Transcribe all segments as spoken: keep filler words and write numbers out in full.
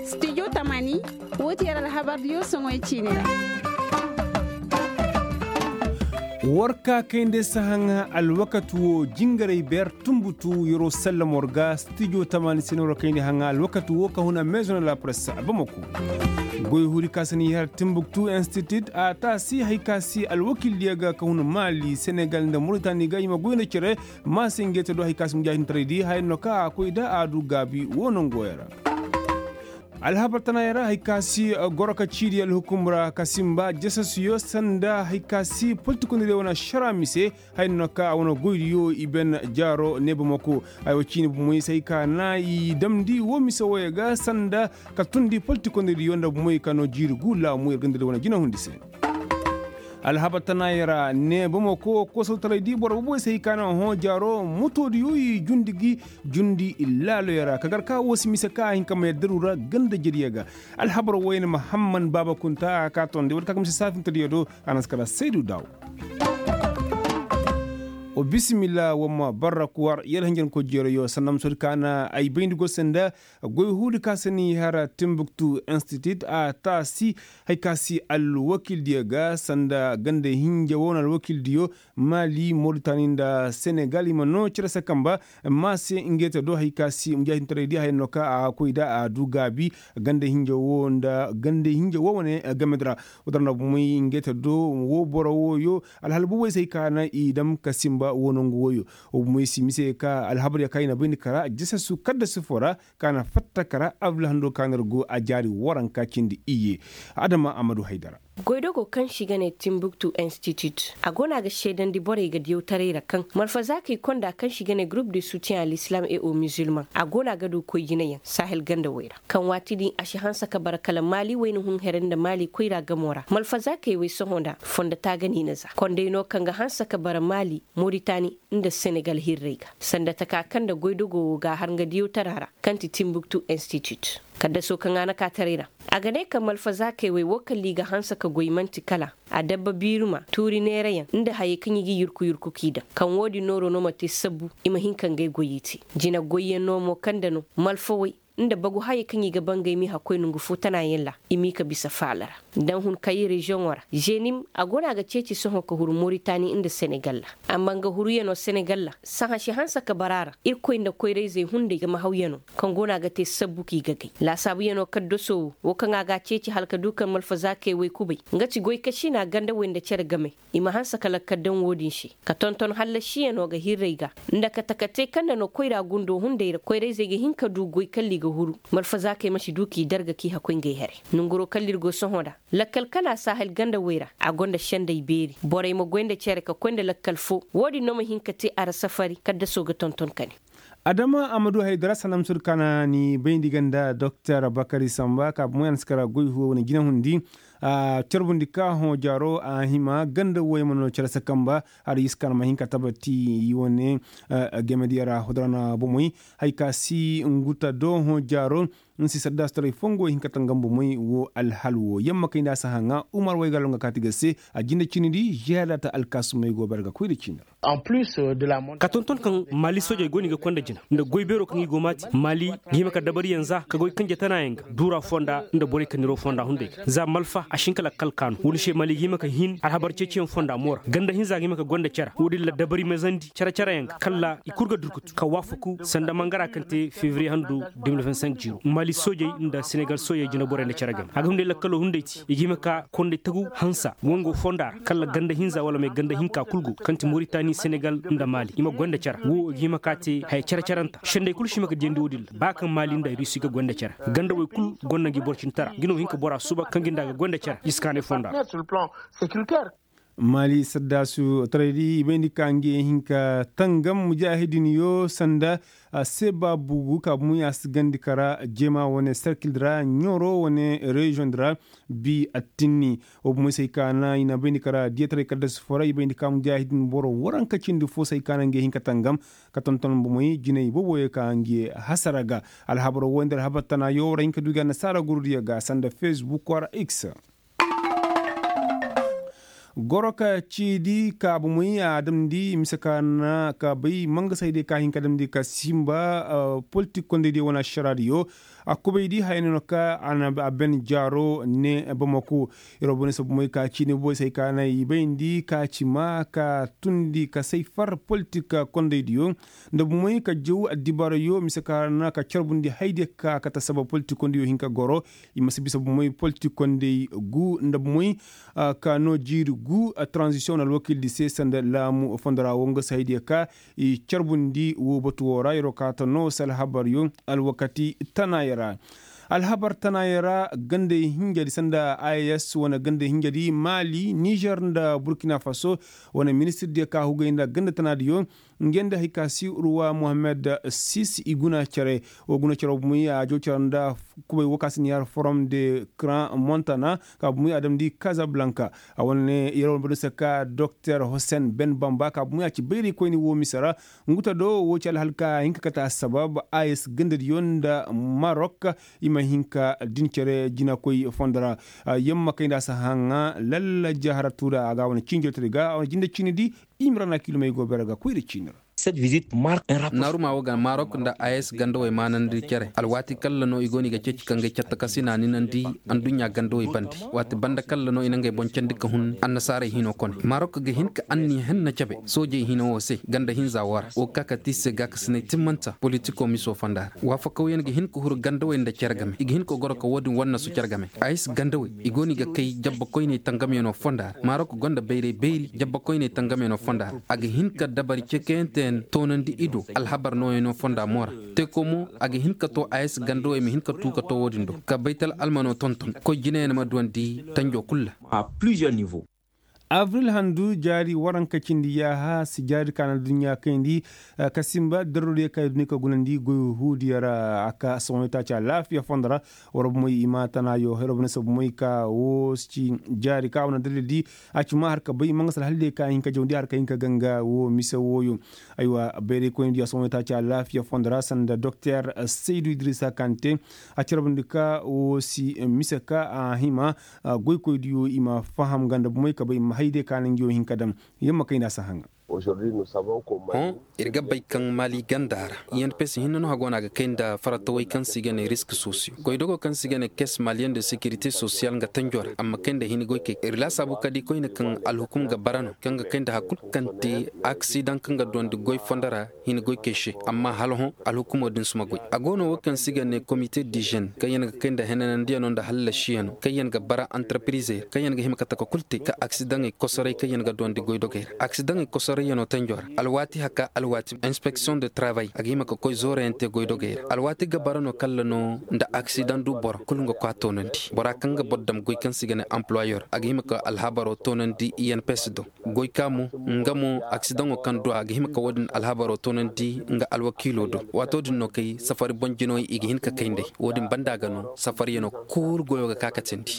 Stijo tamaani, woo ti yer alhabardiyo soŋoy ciini ra. War ka kayndi sahaŋa alwakati woo jingaray beer tunbutu yeroo sallam war ga stijo tamaani se no war kayndi haŋa alwakati woo ka huna maison de la presse a bamako. Goy huudi ka se ni har timbuktu institut a taasi hari ka si alwakildiyo ga ka huna maali senegal nda moritani ga i ma goy nda cere. Maase ngey te do hari ka si mujaahidiŋ taray di haya no ka a koy da a du gaabi woo nongo ya ra. Alhabar tana ya ra hari ka si goro ka ciidi alhukum ra ka simba jasasuyo sanda hari ka si politikondiriyo wane ašara mise. Haya no ka a wane goydiyo i ben jaaro neebamako. Haya wo ciini bomoy se hari ka na i damndi woo mise wooyo ga sanda ka tundi politikondiriyo nda bomoy ka no jiiri gu laamu yer ganda di wane jinahundi se. Alhabar tana ya ra ne bamako koosawtaray di boro boboy se hari ka na hõ jaaro motoodiyo i jundi gi jundi laaloyo ra ka gar ka woo si mise ka a hin ka ma yaddaru ra ganda jediyo ga. Alhabar woy na mahamman baaba kunta a ka tondi wala ka ka mise saafintadiyo do. A na si kala saydu daaw. Wa bisimilla wa ma barra kuwar yar hinjanko jeerayo sanda ma soodi ka na ay bayndi go se nda goy huudi ka se ni har timbuktu institut a taasi. Hari ka si alwakildiyo ga sanda ganda hinja woo na alwakildiyo maali moritani nda senegal i ma noo cere se kamba. Maase ngey te do hari ka si mujaahidiŋ taray di haya no ka a koy da a du gaabi ganda hinja woo nda ganda hinja woo wane gamedi ra. Woo dara nda bomoy ngey te do woo boro wooyo alhala boboy se hari ka na i dam ka simba woo nongu wooyo. Woo bomoy si mise ka alhabar ya ka i na bayndi kara jasasu kaddasu foo ra ka na fatta kara abdulahando ka na ir go a jaari waranka cindi iyye. Adama amadu haydara. Goydogo kaŋ se i ga ne timbuktu institut a go no a ga seedandi borey ga diyawtaray ra kaŋ malfazaakey konda kaŋ se i ga ne gurup de sutiyaŋ a lislam e o mizilmaŋ a go no a ga du koy jinayaŋ sahel ganda wey ra kaŋ waati din a si hanse ka bara kala maali wayna hun here nda maali koyra gamo ra malfazaakey wey sohõ nda fondo taagani na za konday no kaŋ ga hanse ka bara maali moritani nda senegal hirrey ga sanda taka kaŋ nda goydogo wo ga a har nga diyawtara ra kaŋ ti timbuktu institut. Kaddasoo kaŋ a na kaataray ra a ga ne ka malfazaakey wey woo kala i ga hanse ka goy man'ti kala adabba biiruma tuuri neerayaŋ nda hayey kaŋ i ga i yurku yurku k'i daŋ kaŋ woo din nooroo no ma te sabbu i ma hin ka ngey goyey te. Jina goyyaŋ no mo kaŋ nda no malfawey nda bagu hayey kaŋ i ga bangay m'i hakkoy nongu foo tanaayaŋ ra i m'i ka bisa faala ra. Daŋ hun kayi reziyoŋo ra zenim a go no a ga ceeci sohõ ka huru moritani nda senegal ra. Amma nga huruyanoo senegal ra sahã si hanse ka bara a ra irkoy nda koyra-izey hunday ga ma hawyanoo kaŋ go no a ga te sabbu k'i ga gay laasaabuyanoo kaddasoo wo wo kaŋ a ga a ceeci hala ka du kaŋ malfazaakey woy kubay nga ti goy ka sina gandawey nda cere game. I ma hanse ka lakkal daŋ wo-din se ka tonton hallasiyanoo ga hirrey ga nda kate-kate kaŋ nda no koyra gundo hunday ra koyra-izey ga hin ka du goy kalla i ga huru malfazaakey ma si du k'i darga k'i hakkoy ngey here. Nonguroo kalla ir go sohõ nda lakkal kana sahel gandawey ra a gonda sendey beeri borey ma goy nda cere ka koy nda lakkal foo. Wo-din no ma hin ka te a ra safari kaddasoo ga tonton ka ne. Adama a ma du haydara sanamsur kana ni bayndi ganda doktor bakari samba ka bumoy a na si kara goy huwo wane jinahundi. Carbundi ka hõ jaaro a hima ganda woy ma no care sakamba. Har i si kana ma hin ka tabati i wane game diya ra hodora na bumoy. Hay ka si nguta do hõ jaaro. Nsi sadda si taray fongo hin ka tangam bumoy wo alhal wo yamma kay nda a si haŋa umar wayga longa kaati ga se. A jinde cini di ziyaada ta alkaasumey go bare ga koy nda cini ra. Ka tonton kaŋ maali soojey go no i ga konda jina nda goy beero kaŋ i go maati maali ga hima ka dabariyaŋ za ka goy kanje tanayaŋ ga duura fonda nda borey kaŋ niro fonda hunday ga za malfa a si hin ka lakkal kaanu wo- din se maali ga hima ka hin alhabar ceeciyaŋ fonda moora ganda hinza ga hima ka gonda care wo- din ra dabari mazandi care careyaŋ ga kalla i kul ga durkutu ka waafaku sanda mangara kaŋ te febriye handu. Maali soojey nda senegal soojey jina borey nda care game a ga hunday lakkalo hunday te i ga hima ka konday tagu hansa wango fonda ra kalla ganda hinza wala may ganda hinka kul go kaŋ ti moritani senegal nda maali i ma goy nda care wo i ga hima ka te haya care caranta sendey kul si hima ka diyandi wo- din ra ba kaŋ maali nda rusi ga goy nda care ganda wey kul gonda ngi boro cintara ngi no hin ka bora suba kaŋ gi nda ga goy nda care i si kaanay fonda ra. Maali saddaasu taraydi i bayndi ka ngi hin ka tangam mujaahidiniyo sanda. Seeba bugu ka bumuy a si gandi kara jeema wane serkil di ra ɲoro wane reziyoŋ di ra. Bi attinni wo bumuy se ay ka na i na bayndi kara diyataray kadda si fo ra i bayndi ka mujaahidin boro waranka cindi fo se ay ka na ngi hin ka tangam ka tonton bumuy jinay booboyo ka ngi hasara ga. Alhabaro wo nda alhabar tanayo ra hin ka du ga annasaara gurudiyo ga sanda fesbuk wara x. Goro ka ciidi ka bomey a damndi mise ka na ka bay mangasaydiyo ka hin ka damndi ka simba politik kondaydiyo wane ašaraadiyo. A kubaydi haya no ka a ben jaaro ne bamako. Yer wo bone se bomey ka ciini boy se hay ka na i bayndi ka ci maa ka tundi ka say far politik kondaydiyo nda bomey ka jaw addibaarayo mise ka na ka carbundi haydiyo ka kate sabab politik kondaydiyo hin ka goro. I ma si bisa bomey politik konday gu nda bomey ka no jiiri gu. Taranzisiyoŋ wane alwakiildi se sanda laamu fondo ra wo nga se haydiyo ka i carbundi woo batu woo ra yer wo kaata no se alhabaryo alwakati tanaaya ra. Alhabar tanaaya ra gandey hinjadi sanda a e s wane gandey hinjadi maali nizer nda burkina faso wane ministirdiyo ka hugay nda ganda tanaadiyo. Ngey nda hay ka si ruwa mohammed sis i guna cere. Woo guna cere woo bumey a jaw cere nda kubay woo ka si ni har forom de kran montana ka bumey a damndi kazablanka. A wane ne yer wane badu se ka doktor hosen ben bamba ka bumey a ci bayraykoyni woo mise ra. Ngu ta do woo ci alhal ka hin ka kate assabab a s gandadiyo nda marok i ma hin ka din cere jinakoy fondo ra. Yamma kay nda a si haŋa lalla jaharatu ra a ga a wane cinjotari ga a wane jinde ciini di. I ma ra na kilomey go bere ga koy nda ciini ra. Naaruma woo ga marok nda a s gandawey maanandi cere alwaati kalla no i go no i ga ceeci ka ngey catta ka si na ninandi. Adduɲɲa gandawey bande waati banda kalla no i na ngey boŋ candi ka hun annasaarey hino kone marok ga hin ka anniya henna cabe soojey hino woo se ganda hinza woo ra woo ga ka ka te i se gaakasinay timmanta politiko miso fonda ra waafakawyaŋ ga hin ka huru gandawey nda cere game i ga hin ka goro ka woo din wannasu cere game. A s gandawey i go no i ga kay jabbakoyney tangamyaŋo fonda ra marok gonda bayray bayri jabbakoyney tangamyaŋo fonda ra a ga hin ka dabari cekeyanteyaŋ toonandi i do alhabar nooyaŋo fonda mo ra. Teeko mo a ga hin ka to a s gandawey ma hin ka tuu ka to woo din do ka baytal almano tonton koy jinayaŋ ma duwandi tanjo kul ra. Abril handu jaari waranka cindi yaaha si jaari ka na adduɲɲa kayndi ka simba darrodiyo ka i duni ka gunandi goy huudiyo ra a ka sohõ itaaci alaafiya fondo ra. War bomey i ma tana yo hero bane se bomey ka wo si ci jaari ka wane dalil di a ci ma har ka bay manga sala haldiyo ka hin ka jawndi har ka hin ka ganga wo mise wooyo. Aywa bayray koyni diyo a sohõ itaaci alaafiya fondo ra sanda doktor saydu idrisa kante a carbundi ka wo si mise ka a hima goykoy diyo i ma faham ganda bomey ka bay ma haydiyo ka na ngi wo hin ka dam. Yamma kayndi a si haŋa. Hõ, ir ga bay kaŋ maali ganda ra i n p s hinne no hago no a ga kay nda faratawey kaŋ se i ga ne risk sosiyo goydogo kaŋ se i ga ne kes maliyen de sekirite sosiyal nga tanjo ra amma kay nda hini goykey ir laasaabu ka di koyne kaŋ alhukum ga bara no kaŋ ga kay nda hari kulu kaŋ te aksidaŋ kaŋ ga duwandi goy fondo ra. Hini goykey se amma hala hõ alhukumo din si ma goy a go no wo kaŋ se i ga ne komite dizen kaŋ yaŋ ga kay nda henanandiyano nda hallasiyano kaŋ yaŋ ga bara antarpirize kaŋ yaŋ ga hima ka taka kulu te ka aksidaŋey kosoray kaŋ yaŋ ga duwandi goydogey ra aksidaŋey kosorayyano tanjo ra alwaati haka alwaati inspeksiyoŋ de tarabay a ga hima ka koy zoorayaŋ te goydogey ra alwaati gabara no kalla no nda aksidaŋ du boro kulu nga kwa toonandi bora kaŋ ga boro dam goy kaŋ se i ga ne ampuloyor a ga hima ka alhabaro toonandi i n p s do. Goy ka mo nga mo aksidaŋo kaŋ du a ga hima ka wo- din alhabaro toonandi nga alwakiilo do. Waato din no kay safari boŋ jinoy i ga hin ka kay nd'ey wo- din banda ga no safariyaŋo kul goyo ga ka ka teendi.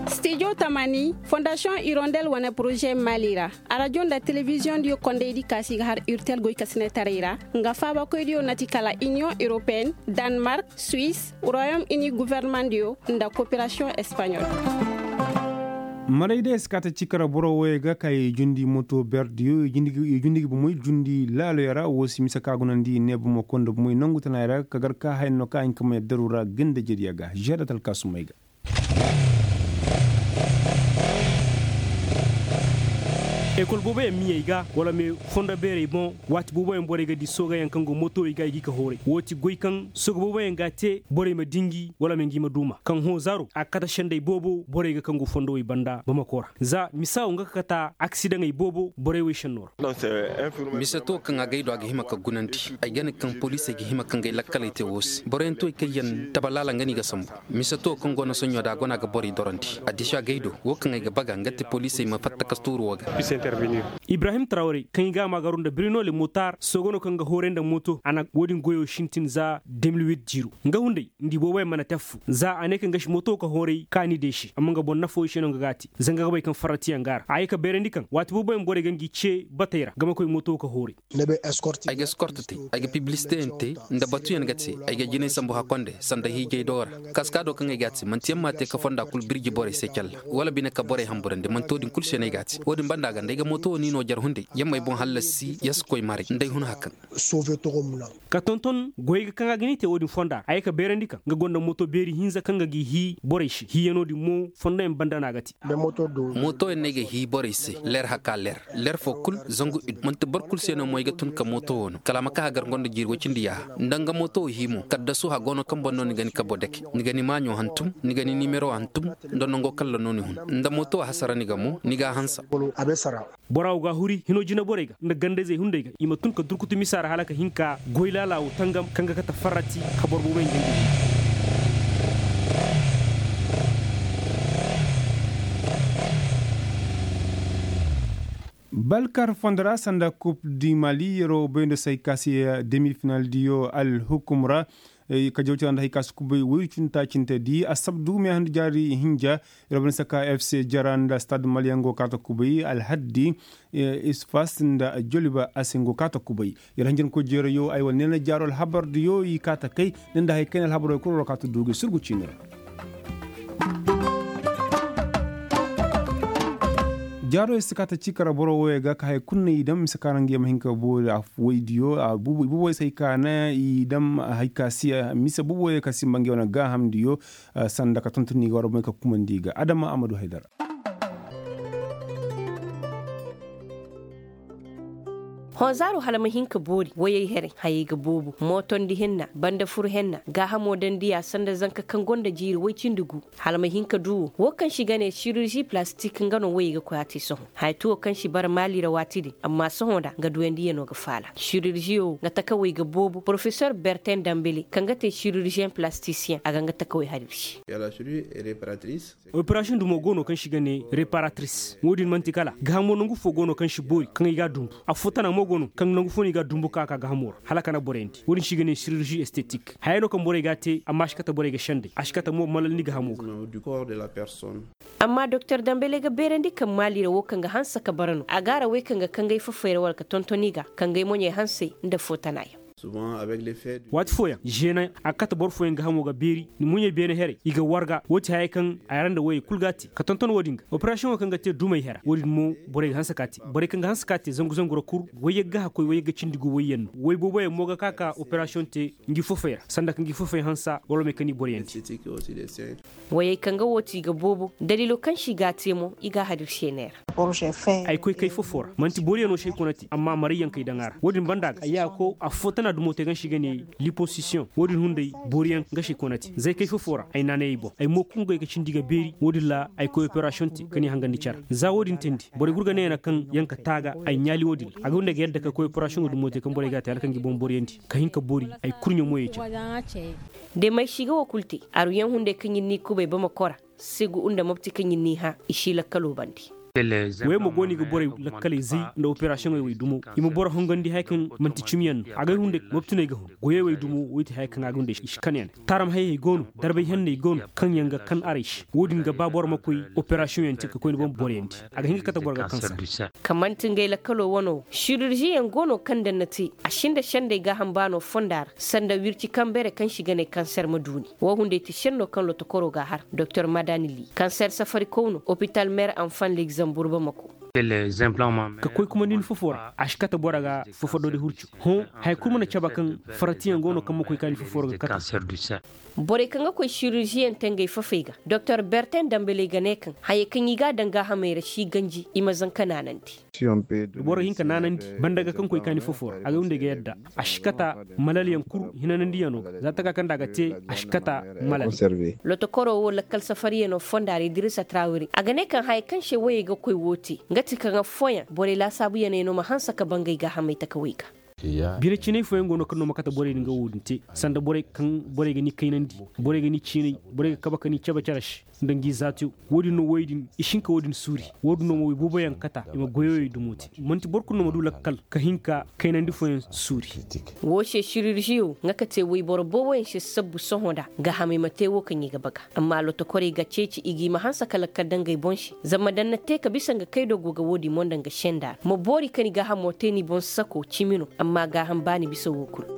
Stijo tamani fondasiyoŋ irondel wane poroze mali ra. Arajo nda telebiziyoŋ diyo kondaydi ka se i ga har urtel goykasinetaray ra nga faabakoydiyo na ti kala iniyoŋ europeyenne, danmark, suwis, royom uni gofornamaŋ diyo nda koperasiyoŋ espaɲol. Marayda eskata cikara boro woyey ga ka i jundi moto berdiyo i jundi ga bomoy jundi laaloyo ra wo si mise ka gunandi ne bomo konda bomoy nangu tana i ra ka gar ka hayno ka hin ka may daru ra ganda jediya ga žedat alkasumay ga. Ekol booboyaŋ miyey ga wala me fondo beerey boŋ waati booboyaŋ borey ga di soogayaŋ kaŋ go motowey ga i ga i ka hooray wo ti goy kaŋ sooga booboyaŋ ga a te borey ma dingi wala ma ngi ma duuma kaŋ hõ zaaro a ga kate sendey boobo borey ga kaŋ go fondowey banda bamako ra za misa wo nga ga kata aksidaŋey boobo borey wey senno ra. Mise to kaŋ a gay do a ga hima ka gunandi ay ga ne kaŋ poliisey ga hima ka ngey lakkaley te wo se boroyaŋ to i kaŋ yaŋ tabalaala nga no i ga sambu. Mise to kaŋ go no soɲo da a go no a ga borey dorandi a disi a gay do wo kaŋ ay ga baga nga te poliisey ma fatta ka tuuru wo ga. Ibrahim tarawre kaŋ i ga a maagaru nda birino le motar sogo no kaŋ ga hooray nda mooto a na wo-din goyo sintin za de mil wit jiiro. Nga hunday nda i booboyaŋ mana te affo za a ne kaŋ ga si mooto ka hooray kaani de se amma nga boro nafo i se no nga ga a te. Zanga ga bay kaŋ farratiyaŋ ga a ra a ye ka beerandi kaŋ waati booboyaŋ borey ga ngi ce batey ra nga ma koy mooto ka hooray. Ay ga eskort te, ay ga piblisiteyaŋ te, nda batuyaŋ ga te. Ay ga jinay sambu hakkonde sanda hiijay do ra. Kaskaado kaŋ ay ga a te manti yaŋ m'a te ka fonda kul birji borey se calla, wala bine ka borey hamburandi manti wo-din kul se no ay ga a te. Wo-din banda ga nda ay ga mooto wo ni no jar hunday yaŋ m'ay boŋ hallasi ya si koy maray nda ay hun hakaŋ. Ka tonton goyey ga kaŋ a ga ni te wo-din fonda ra a ye ka beerandi kaŋ nga gonda mooto beeri hinza kaŋ ga g'i hii borey se hiiyano din mo fondoyaŋ banda no a ga te. Mootoyaŋ no ay ga hii borey se ler haka ler, ler fo kul zangu id manti boro kul se no mo ay ga tun ka mooto wo no kala a ma ka hagar nga nda jiiri woy cindi yaaha nda nga mooto wo hii mo kaddasu hago no kaŋ boŋ no ni ga ni kabo dake, ni ga ni maaɲo hantum, ni ga ni nimero hantum, nda nango kalla no ni hun, nda mooto wo hasara ni ga mo ni ga a hansa. Bora wo ga a huri hino jinaborey ga nda ganda-izey hunday ga i ma tun ka durkutu misa ra hala ka hin ka goy laala wo tangam kaŋ ga kate farrati ka boro booboyaŋ jangay. Balkar fondo ra sanda kup di mali yeroo bayndo se hay ka se demi final diyo alhukum ra. Ka jawtira nda hay ka se kubay woy cunta cinte di asabdu me handi jaari hinja. Yeroo bayndo se ka fc jara nda stad maliyaŋ go kaata kubay alhaddi isfas nda joliba a se go kaata kubay. Yer hanjankoy jeerayo ay wane neena jaaro alhabar diyo i kaata kay. Nda hay kayna alhabaroo kul war kaata duuge surgu ciini ra. Jaaro yer si kaata ciika ra boro wooyey ga ka haya kul no i daŋ mise ka ra nga yer ma hin ka boori afooydiyo. Ibuuboy se hay ka na i daŋ hay ka si mise buuboyey ka simba nga yer wane gaahamdiyo. Sanda ka tonton i ga war boŋey ka kumandi i ga adama a ma du haydara. Honzaaro hala ma hin ka boori wayey herey hayey ga boobo mootondi henna banda fur henna gaahamo daŋ diya sanda zanka kaŋ gonda jiiri way cindi gu. Hala ma hin ka du wo wo kaŋ se i ga ne sirurzi palastik nga no wayey ga koy a te sohõ haya te wo kaŋ se i bara maali ra waati din amma sohõ nda nga duyandiyano ga faala sirurziyo nga takawey ga boobo porofesor bertin dambele kaŋ ga te sirurziyeŋ palastisiyeŋ a ga nga takawey har ir se. Operasiyoŋ dumo go no kaŋ se i ga ne reparatris wo-din man'ti kala gaahamo nangu fo go no kaŋ si boori kaŋ i g'a dunbu. Affoo tana mo go no kaŋ nangu fo no i g'a dunbu ka ka gaahamo ra hala ka na borey ndi wo-din se i ga ne sirurzi estetik hayey no kaŋ borey g'a te amma a si kate borey ga senday a si kate mo malal ni gaahamo ga. Amma doktor dambele ga beerandi kaŋ maali ra wo kaŋ ga hanse ka bara no a ga a ra wey kaŋ ga kangay fafey ra wala ka tonton i ga kangay moɲey hansey nda affoo tana yaŋ. Waati fooyaŋ žeena a ga kate boro fooyaŋ gaahamo ga beeri ni muɲey beene herey i ga warga wo ti hayey kaŋ a yara nda woyey kul ga a te ka tonton wo-din ga operasiyoŋo kaŋ ga te dumey hera wo-din mo borey ga hanse ka te borey kaŋ ga hanse ka te zangu zangu ra kul woy yagga hakkoy woy yagga cindi gu woyyaŋ no woy booboyaŋ mo ga ka ka operasiyoŋ te ngi fofey ra sanda ka ngi fofey hansa wala may kaŋ i boroyaŋ te. Wayey kaŋ ga wo ti i ga boobo daliilo kaŋ se i g'a te mo i g'a har ir se neera. Ay koy kay fofo ra man'ti booriyaŋo se ay kona te amma marayyaŋ kay daŋ a ra wo-din banda ga ay ya ko affoo tana dumo te kaŋ se i ga ne liposisiyoŋ wo-din hunday booriyaŋ nga se ay kona te za ay kay fofo ra ay naanay ay boŋ ay mo kungay ga cindi ga beeri wo-din ra ay koy operasiyoŋ te ka ni hangandi care za wo-din teendi borey gurga ne yana kaŋ yaŋ ka taaga ay ɲaali wo-din ra a ga hunday ga yadda ka koy operasiyoŋo dumo te kaŋ borey g'a te hala kaŋ ga i boŋ booriyandi ka hin ka boori ay kurɲe moyey care. De may si ga wo kul te aruyaŋ hunday kaŋ ir n'i kubay bamako ra segu nda mopti kaŋ ir n'i hã i si lakkaloo bandi. Woyey mo go no i ga borey lakkaley zay nda operasiyoŋey wey dumo i ma boro hongandi haya kaŋ man'ti cimiyaŋ no a gay hunday moptiney ga hun goyey wey dumo wey ti haya kaŋ a ga hunday i si kanyaŋ taaram hayey go no darbay henney go no kaŋ yaŋ ga kan aray se wo-din ga ba boro ma koy operasiyoŋ yaŋ te ka koy ni boŋ boriyandi a ga hin ga kate boro ga kansa. Ka man'ti ngey lakkaloo wano wo sirurziyaŋ go no kaŋ daŋ na te a sinda sendey gaaham baano fonda ra sanda wirci kambere kaŋ se i ga ne kanser ma duuni wo hunday ti senno kaŋ lotokoroo g'a har doktor madani li kanser safarikow no opital mer anfan legzambur bamako. Ka koy kumandi ni fofo ra a si kate boro ga fofo doodi hurcu hõ haya kul mana cabe kaŋ faratiyaŋ go no kaŋ ma koy ka ni fofo ra ga kate. Borey kaŋ ga koy sirurziyaŋ te ngey fofey ga doktor bertin dambeley ga ne kaŋ hayey kaŋ i g'a daŋ gaahamey ra si ganji i ma zanka naanandi. Boro ga hin ka naanandi banda ga kaŋ koy kaani fofo ra a ga windey ga yadda a si kata malalyaŋ kul hinanandiyano ga za taka kaŋ nda a ga te a si kata malal. Lotokoroo wo lakkal safariyano fonda ra idirisa trawiri a ga ne kaŋ haya kaŋ se woyey ga koy wo te nga ti kaŋ affooyaŋ borey laasaabuyaney no ma hanse ka bangay gaahamey takawey ga. Bine cinay fooyaŋ go no kaŋ no ma kate borey din ga wo- din te, sanda borey kaŋ borey ga ni kaynandi, borey ga ni ciinay, borey ga kabe ka ni cabe cere se, nda ngi zaatiyo. Wo- din no woy din i si hin ka wo- din suuri. Wo- din no ma woy booboyaŋ kata i ma goyoyey dumo te. Man'ti boro kulu no ma du lakkal ka hin ka kaynandi fooyaŋ suuri. Woo se siririziyo nga ka te woyboro booboyaŋ se sabbu sohõ nda gaahamey ma te woo kaŋ i ga baga. Amma lotokorey ga ceeci i ga i ma hanse ka lakkal daŋ ngey boŋ se. Zama daŋ na te ka bisa nga kaydo go ga woo din mo nda nga senda ra ma boori ka ni gaahamo te ni boŋ sako cimi no. Amma gaaham baani bisa woo kulu.